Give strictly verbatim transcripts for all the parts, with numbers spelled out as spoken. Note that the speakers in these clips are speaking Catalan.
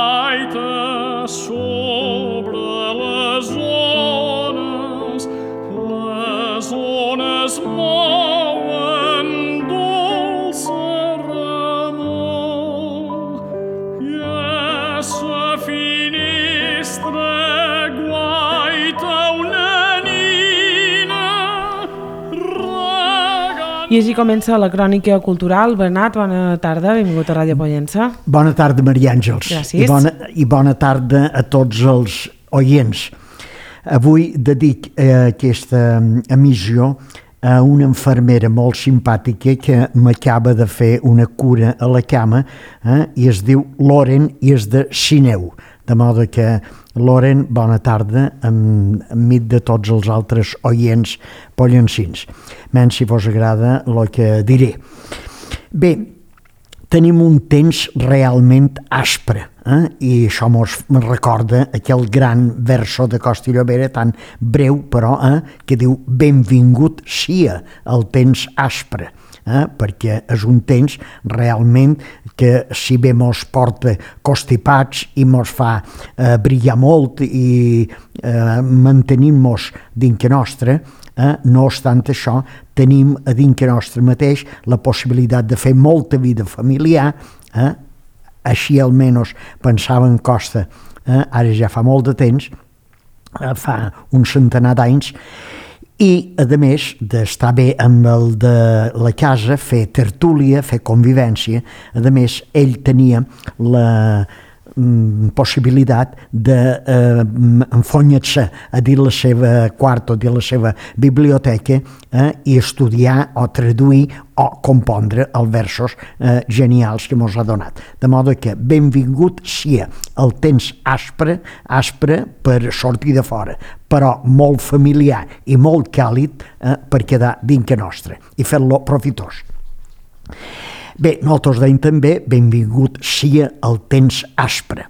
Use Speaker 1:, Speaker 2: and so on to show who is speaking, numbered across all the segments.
Speaker 1: gaita sobre les ones, les ones mouen dolça remor, i a sa finestra guaita una nina regant.
Speaker 2: I així comença la crònica cultural. Bernat, bona tarda, benvingut a Ràdio Pollença.
Speaker 3: Bona tarda, Maria Àngels.
Speaker 2: Gràcies.
Speaker 3: I bona, i bona tarda a tots els oients. Avui dedic eh, aquesta emissió a una infermera molt simpàtica que m'acaba de fer una cura a la cama, eh, i es diu Loren i és de Sineu. De modo que, Loren, bona tarda, enmig de tots els altres oients pollencins. Menys si vos agrada el que diré. Bé, tenim un temps realment aspre, eh? I això mos recorda aquell gran verso de Costa i Llobera, tan breu però, eh? que diu benvingut sia el temps aspre, eh? perquè és un temps realment que si bé mos porta constipats i mos fa eh, brillar molt i eh, mantenim-nos dintre nostre, Eh, no obstant això, tenim a dintre nostre mateix la possibilitat de fer molta vida familiar, eh? Així almenys pensava en Costa, eh? Ara ja fa molt de temps, eh, fa un centenar d'anys, i a més d'estar bé amb el de la casa, fer tertúlia, fer convivència, a més ell tenia la possibilitat d'enfonyar-se a dir la seva quart o dir la seva biblioteca, eh, i estudiar o traduir o compondre els versos eh, genials que mos ha donat. De modo que benvingut sia el temps aspre, aspre per sortir de fora, però molt familiar i molt càlid eh, per quedar dintre nostre i fer-lo profitós. Bé, nosaltres deim també benvingut sia el temps aspre.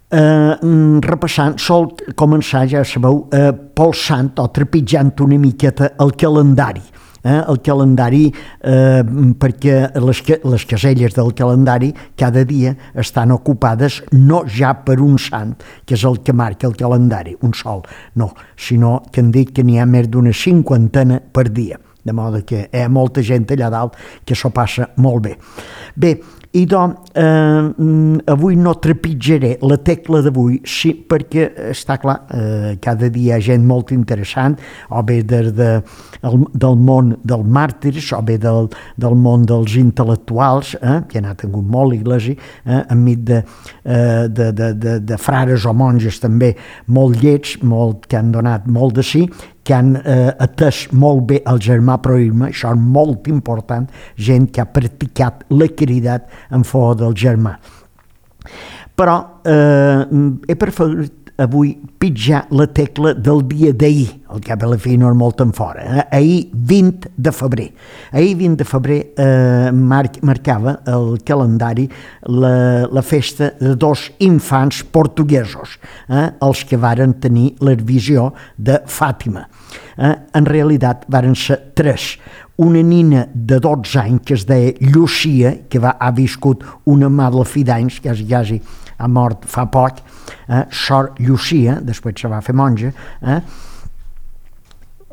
Speaker 3: Eh, repassant, sol començar, ja sabeu, eh, polsant o trepitjant una miqueta el calendari. Eh, el calendari, eh, perquè les, les caselles del calendari cada dia estan ocupades no ja per un sant, que és el que marca el calendari, un sol, no, sinó que han dit que n'hi ha més d'una cinquantena per dia. De modo que hi ha molta gent allà dalt que s'ho passa molt bé. Bé, i doncs, eh, avui no trepitjaré la tecla d'avui, sí, perquè està clar, eh, cada dia hi ha gent molt interessant, o bé des de, el, del món dels màrtirs, o bé del, del món dels intel·lectuals, eh, que n'ha tingut molt l'església, eh, enmig de, eh, de, de, de, de frares o monges també molt llets, molt, que han donat molt de sí, que han eh, atès molt bé el germà proïsme, això és molt important, gent que ha practicat la caritat en favor del germà. Però eh, he preferit avui pitjar la tecla del dia d'ahir, el cap a la fi no és molt en fora, eh? Ahir vint de febrer. Ahir vint de febrer eh, mar marcava el calendari la, la festa de dos infants portuguesos, eh? Els que varen tenir la visió de Fàtima. Eh? En realitat varen ser tres. Una nina de dotze anys que es deia Llucia, que va, ha viscut una mala fi d'anys, quasi, quasi ha mort fa poc, eh? Sor Llucia, després se va fer monja, eh?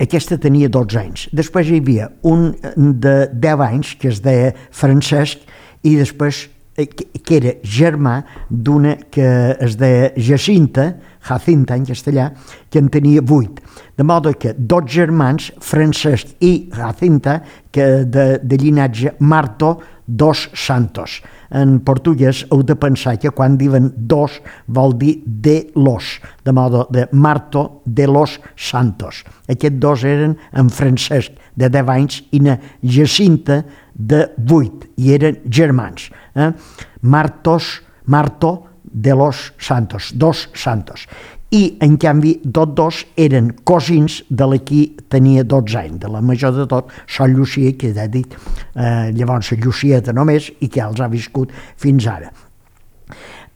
Speaker 3: Aquesta tenia dotze anys. Després hi havia un de deu anys que es deia Francesc i després que era germà d'una que es deia Jacinta, Jacinta en castellà, que en tenia vuit. De modo que dos germans, Francesc i Jacinta, que de, de llinatge Marto dos Santos. En portuguès heu de pensar que quan diuen dos vol dir de los, de modo de Marto de los Santos. Aquests dos eren en Francesc de deu anys i na Jacinta de vuit, i eren germans. Eh? Martos, Marto de los Santos, dos Santos. I, en canvi, tots dos eren cosins de la qui tenia dotze anys, de la major de tot, Sol Llucia, que ja he dit, eh, llavors Llucieta només, i que els ha viscut fins ara.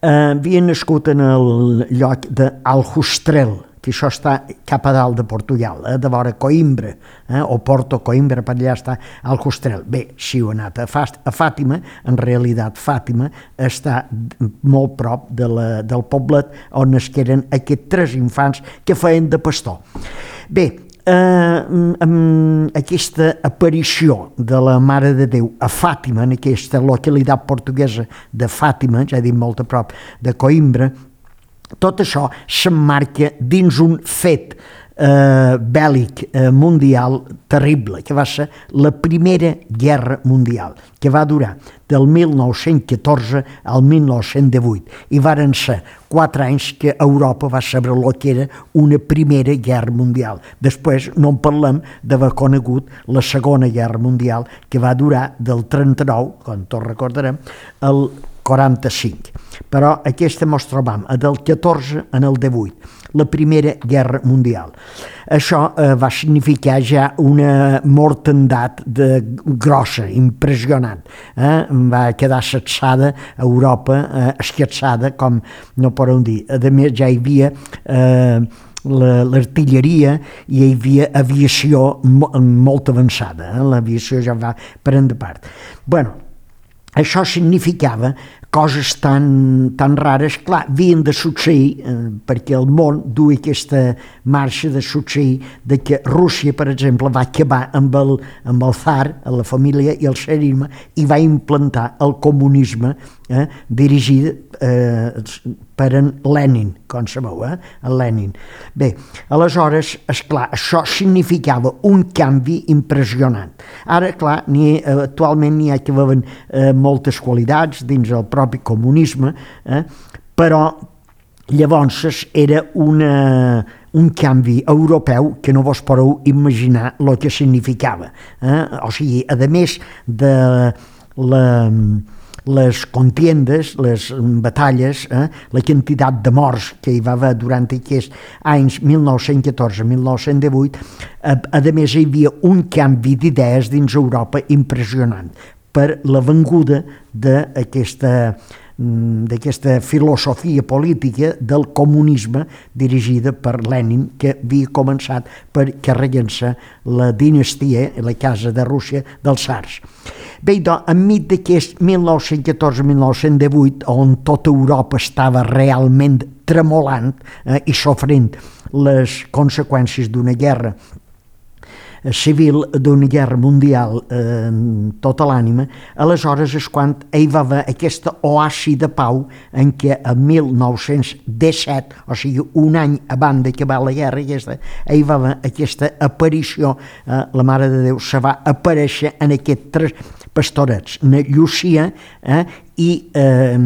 Speaker 3: Eh, havia nascut en el lloc d'Aljustrel, que això està cap a dalt de Portugal, eh, de vora Coimbra, eh, o Porto Coimbra, per allà està Aljustrel. Bé, si heu anat a, Fast, a Fàtima, en realitat Fàtima està molt prop de la, del poblet on nasqueren aquests tres infants que feien de pastor. Bé, Eh, amb aquesta aparició de la Mare de Déu a Fàtima, en aquesta localitat portuguesa de Fàtima, ja he dit molt a prop de Coimbra, tot això s'emmarca dins un fet eh, bèl·lic eh, mundial terrible, que va ser la Primera Guerra Mundial, que va durar del mil nou-cents catorze al mil nou-cents divuit, i varen ser quatre anys que Europa va saber el que era una Primera Guerra Mundial. Després no en parlem d'haver conegut la Segona Guerra Mundial, que va durar del trenta-nou, com tots recordarem, al quaranta-cinc. Però aquesta mos trobam del catorze en el divuit, la Primera Guerra Mundial. Això eh, va significar ja una mortandat de, grossa, impressionant. Eh? Va quedar sacsada a Europa, eh, esquatsada, com no podem dir. A més, ja hi havia eh, l'artilleria i hi havia aviació molt avançada. Eh? L'aviació ja va prendre part. Bueno, això significava coses tan, tan rares, clar, havien de succeir, eh, perquè el món duia aquesta marxa de succeir, de que Rússia, per exemple, va acabar amb el, amb el tsar, la família i el tsarisme, i va implantar el comunisme eh, dirigit eh, per en Lenin, com sabeu, eh? El Lenin. Bé, aleshores, esclar, això significava un canvi impressionant. Ara, clar, ni, eh, actualment n'hi ha que veuen eh, moltes qualitats dins el propi comunisme, eh? Però llavors era una, un canvi europeu que no vos podeu imaginar el que significava. Eh? O sigui, a més de la... les contiendes, les batalles, eh, la quantitat de morts que hi va haver durant aquests anys mil nou-cents catorze a mil nou-cents divuit, a, a més hi havia un canvi d'idees dins Europa impressionant per la venguda d'aquesta d'aquesta filosofia política del comunisme dirigida per Lenin, que havia començat per carregar-se la dinastia, la casa de Rússia, dels tsars. Bé, doncs, enmig d'aquest mil nou-cents catorze a mil nou-cents divuit, on tota Europa estava realment tremolant eh, i sofrint les conseqüències d'una guerra civil, d'una guerra mundial eh, tota l'ànima, aleshores és quan hi va haver aquesta oasi de pau en què a mil nou-cents disset, o sigui un any abans d'acabar la guerra aquesta, hi va haver aquesta aparició, eh, la Mare de Déu se va aparèixer en aquests tres pastorets, na Llucia eh, i eh,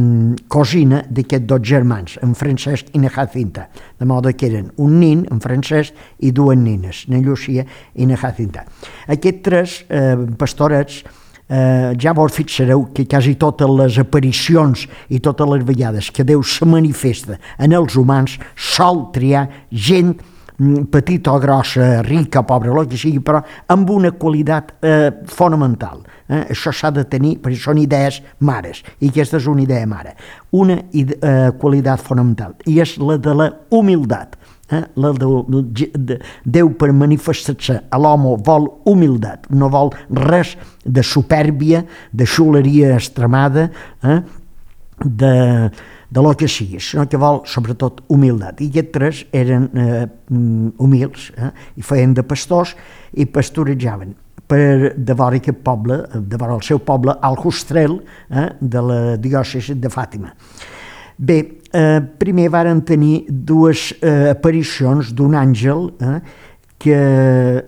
Speaker 3: cosina d'aquests dos germans, en Francesc i na Jacinta, de modo que eren un nin, en Francesc, i dues nines, na Llucia i na Jacinta. Aquests tres eh, pastorets, eh, ja vos fixareu que quasi totes les aparicions i totes les vegades que Déu se manifesta en els humans sol triar gent petita o grossa, rica o pobra, el que sigui, però amb una qualitat eh, fonamental. Eh? Això s'ha de tenir, perquè són idees mares, i aquesta és una idea mare. Una eh, qualitat fonamental, i és la de la humilitat. Eh? La de, de, Déu, per manifestar-se a l'home, vol humilitat, no vol res de supèrbia, de xuleria extremada, eh? de... de lo que sigui, sinó que vol sobretot humilitat. I aquests tres eren eh, humils, eh, i feien de pastors i pastorejaven per de vora aquest poble, de vora el seu poble, Aljustrel, eh, de la diòcesi de Fàtima. Bé, eh, primer varen tenir dues eh, aparicions d'un àngel, eh, que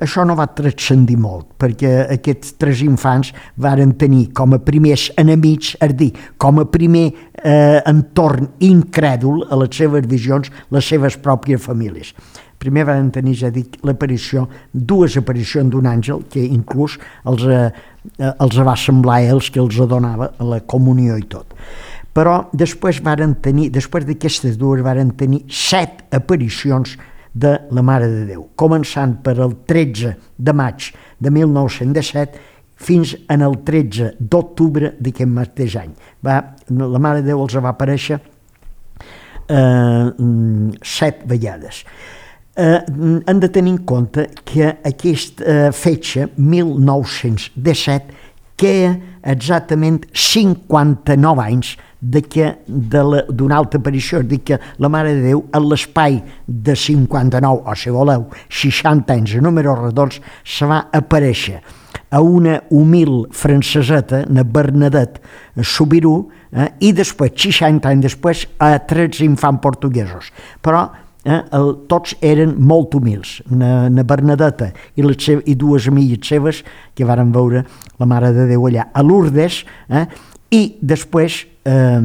Speaker 3: això no va transcendir molt, perquè aquests tres infants varen tenir com a primers enemics, és a dir, com a primer eh, entorn incrèdul a les seves visions, les seves pròpies famílies. Primer van tenir, ja dic, l'aparició, dues aparicions d'un àngel, que inclús els, eh, els va semblar a ells que els donava la comunió i tot. Però després varen tenir, després d'aquestes dues, varen tenir set aparicions de la Mare de Déu, començant per el tretze de maig de mil nou-cents disset fins en el tretze d'octubre d'aquest mateix any. Va, la Mare de Déu els va aparèixer eh, set vegades. eh, hem de tenir en compte que aquesta eh, fetge, mil nou-cents disset, queda exactament cinquanta-nou anys de que d'una altra aparició, és a dir, que la Mare de Déu, en l'espai de cinquanta-nou, o si voleu, seixanta anys, a números redons, se va aparèixer a una humil franceseta, na Bernadette Soubirous, eh, i després, seixanta anys després, a tres infants portuguesos. Però eh, el, tots eren molt humils. Na, na Bernadette i, les seves, i dues amigues seves que varen veure la Mare de Déu allà a Lourdes, eh, i després, eh,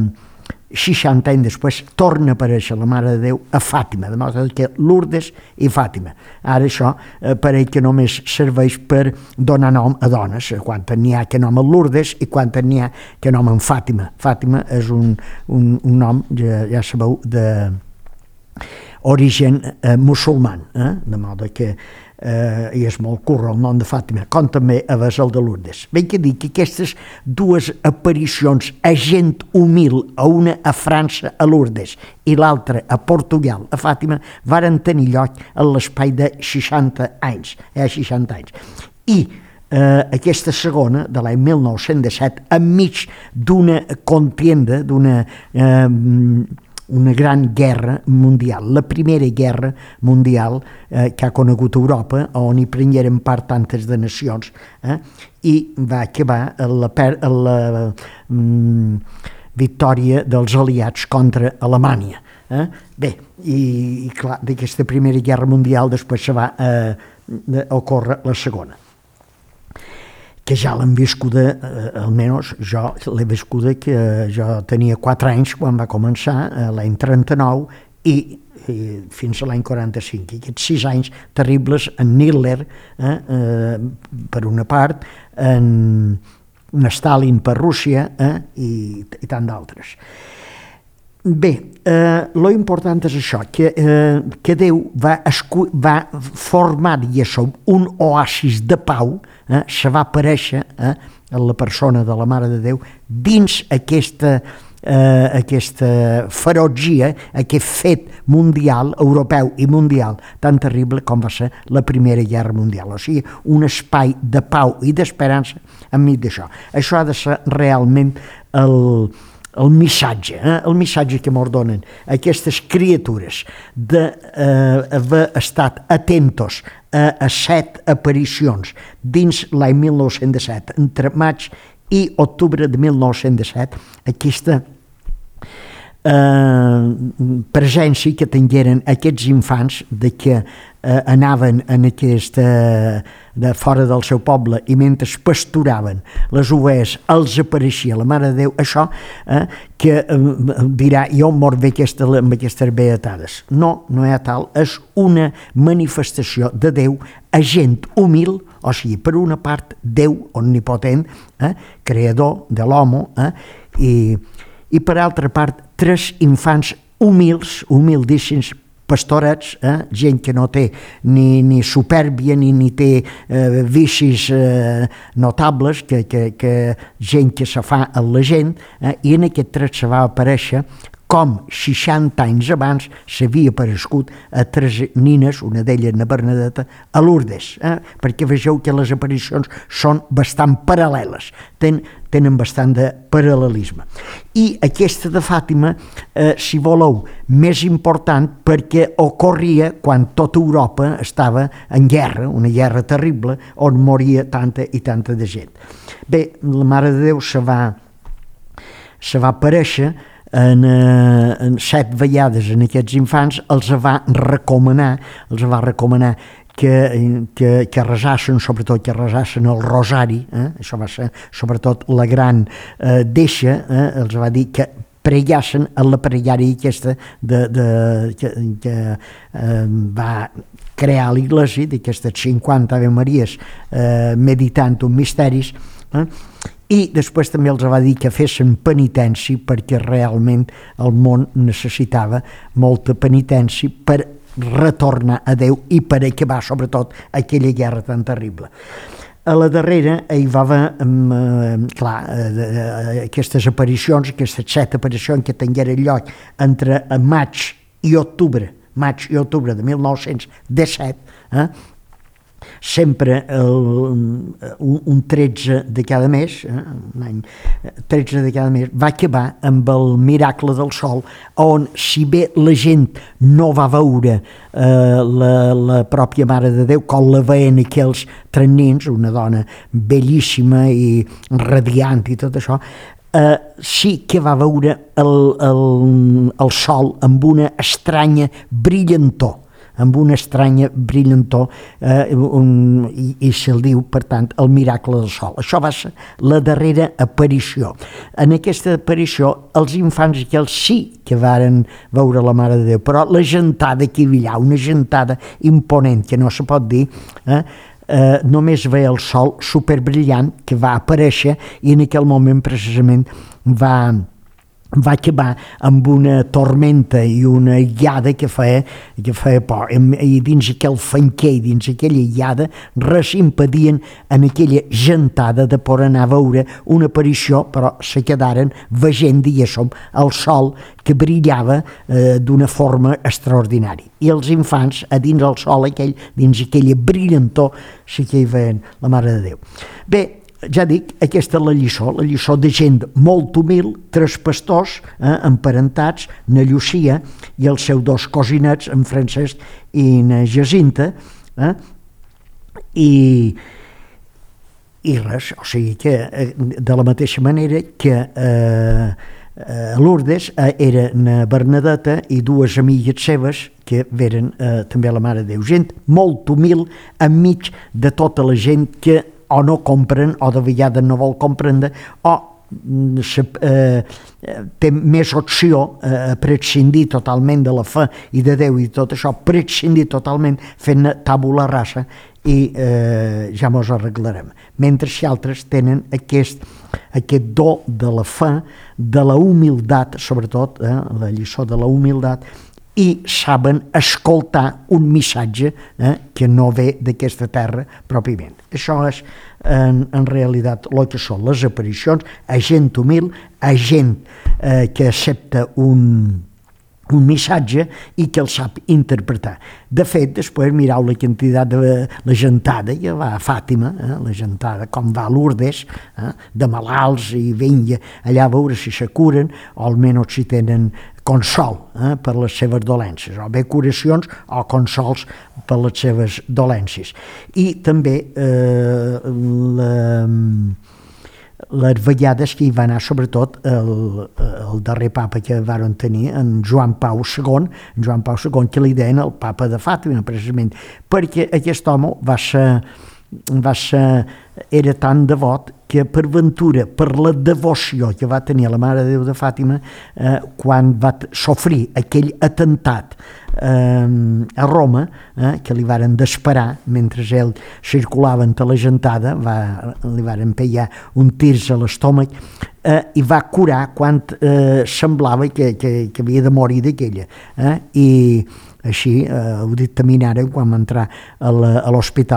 Speaker 3: seixanta anys després, torna a aparèixer la Mare de Déu a Fàtima, de modo que Lourdes i Fàtima. Ara això eh, pareix que només serveix per donar nom a dones, quan n'hi ha que nom a Lourdes i quan n'hi ha que nom en Fàtima. Fàtima és un, un, un nom, ja, ja sabeu, de origen eh, musulman, eh? De modo que eh, i és molt curro el nom de Fàtima, com també a el de Lourdes. Bé que dir que aquestes dues aparicions a gent humil, a una a França, a Lourdes, i l'altra a Portugal, a Fàtima, varen tenir lloc en l'espai de seixanta anys, eh, seixanta anys. I eh, aquesta segona, de l'any mil nou-cents disset, enmig d'una contienda, d'una eh, una gran guerra mundial, la primera guerra mundial eh, que ha conegut Europa, on hi prengueren part tantes de nacions, eh, i va acabar la, per, la mm, victòria dels aliats contra Alemanya. Eh? Bé, i, i clar, d'aquesta primera guerra mundial després se va eh, ocórrer la segona, que ja l'hem viscuda, eh, almenys jo l'he viscuda, que jo tenia quatre anys quan va començar, eh, l'any trenta-nou, i, i fins a l'any quaranta-cinc. I aquests sis anys terribles en Hitler, eh, eh, per una part, en, en Stalin per Rússia, eh, i, i tant d'altres. Bé, eh, lo important és això, que, eh, que Déu va, escu va formar, diguéssim, un oasis de pau, eh, se va aparèixer eh, en la persona de la Mare de Déu dins aquesta, eh, aquesta ferotgia, aquest fet mundial, europeu i mundial, tan terrible com va ser la Primera Guerra Mundial. O sigui, un espai de pau i d'esperança enmig d'això. Això ha de ser realment el... el missatge, eh? el missatge que ens donen aquestes criatures d'haver eh, estat atentos a, a set aparicions dins l'any mil nou-cents disset, entre maig i octubre de mil nou-cents disset, aquesta eh, presència que tingueren aquests infants de que eh, anaven en aquesta, de fora del seu poble, i mentre pasturaven les ovelles els apareixia la Mare de Déu, això eh, que eh, dirà, jo mor bé aquesta, amb aquestes beatades. No, no hi ha tal, és una manifestació de Déu a gent humil, o sigui, per una part Déu omnipotent, eh, creador de l'home, eh, i, i per altra part tres infants humils, humildíssims, pastorets, eh? gent que no té ni, ni supèrbia ni, ni té eh, vicis eh, notables, que, que, que gent que se fa a la gent, eh? I en aquest tret se va aparèixer com seixanta anys abans s'havia aparegut a tres nines, una d'elles na Bernadette, a Lourdes, eh? perquè vegeu que les aparicions són bastant paral·leles, ten, tenen bastant de paral·lelisme. I aquesta de Fàtima, eh, si voleu, més important perquè ocorria quan tota Europa estava en guerra, una guerra terrible, on moria tanta i tanta de gent. Bé, la Mare de Déu se va, se va aparèixer En, eh, en set vegades en aquests infants, els va recomanar, els va recomanar que, que, que resassen, sobretot que resassen el rosari, eh? Això va ser sobretot la gran eh, deixa, eh? Els va dir que pregassen en la pregària aquesta de, de, que, que eh, va crear l'Iglésia, d'aquestes cinquanta Ave Maries eh, meditant uns misteris, eh? I després també els va dir que fessin penitència perquè realment el món necessitava molta penitència per retornar a Déu i per acabar sobretot aquella guerra tan terrible. A la darrera hi va haver, eh, clar, eh, aquestes aparicions, aquestes set aparicions que tingueren lloc entre maig i octubre, maig i octubre de mil nou-cents disset, eh, sempre el, un, un tretze de cada mes, eh, un any tretze de cada mes, va acabar amb el miracle del sol, on si bé la gent no va veure eh, la, la pròpia Mare de Déu, com la veien aquells tres nens, una dona bellíssima i radiant i tot això, eh, sí que va veure el, el, el sol amb una estranya brillantor, amb una estranya brillantor, eh, un, i, i se'l diu, per tant, el miracle del sol. Això va ser la darrera aparició. En aquesta aparició, els infants aquells sí que varen veure la Mare de Déu, però la gentada que hi havia, una gentada imponent, que no se pot dir, eh, eh, només veia el sol superbrillant que va aparèixer i en aquell moment precisament va... va acabar amb una tormenta i una guiada que feia, que feia por. I dins aquell fanquer, dins aquella guiada, res impedien en aquella gentada de poder anar a veure una aparició, però se quedaren veient, diguéssim, el sol que brillava eh, d'una forma extraordinària. I els infants, a dins el sol aquell, dins aquella brillantor, sí que hi veien la Mare de Déu. Bé, ja dic, aquesta és la lliçó, la lliçó de gent molt humil, tres pastors eh, emparentats, na Llucia i els seus dos cosinets, en Francesc i na Jacinta, eh, i, i res, o sigui que eh, de la mateixa manera que eh, eh, Lourdes eh, era na Bernadeta i dues amigues seves que veren eh, també la Mare de Déu, gent molt humil enmig de tota la gent que o no compren, o de vegades no vol comprendre, o se, eh, té més opció a eh, prescindir totalment de la fe i de Déu i tot això, prescindir totalment fent tabula rasa i eh, ja mos arreglarem. Mentre que altres tenen aquest, aquest do de la fe, de la humilitat, sobretot, eh, la lliçó de la humilitat, i saben escoltar un missatge eh, que no ve d'aquesta terra pròpiament. Això és, en, en realitat, el que són les aparicions, a gent humil, a gent eh, que accepta un, un missatge i que el sap interpretar. De fet, després mireu la quantitat de la gentada que va a Fàtima, eh, la gentada com va a Lourdes, eh, de malalts i vinga allà a veure si se curen o almenys si tenen consol eh, per les seves dolències, o bé curacions o consols per les seves dolències. I també eh, la, les vegades que hi va anar, sobretot el, el darrer papa que varen tenir, en Joan Pau segon, en Joan Pau segon, que li deien el papa de Fàtima, precisament, perquè aquest home va ser, va ser, era tan devot que per ventura, per la devoció que va tenir la Mare de Déu de Fàtima, eh, quan va sofrir aquell atemptat eh, a Roma, eh, que li varen desparar mentre ell circulava entre la gentada, va, li varen pegar un tirs a l'estómac, eh, i va curar quan eh, semblava que, que, que havia de morir d'aquella. Eh, I així eh, ho dictaminaren quan va entrar a l'hospital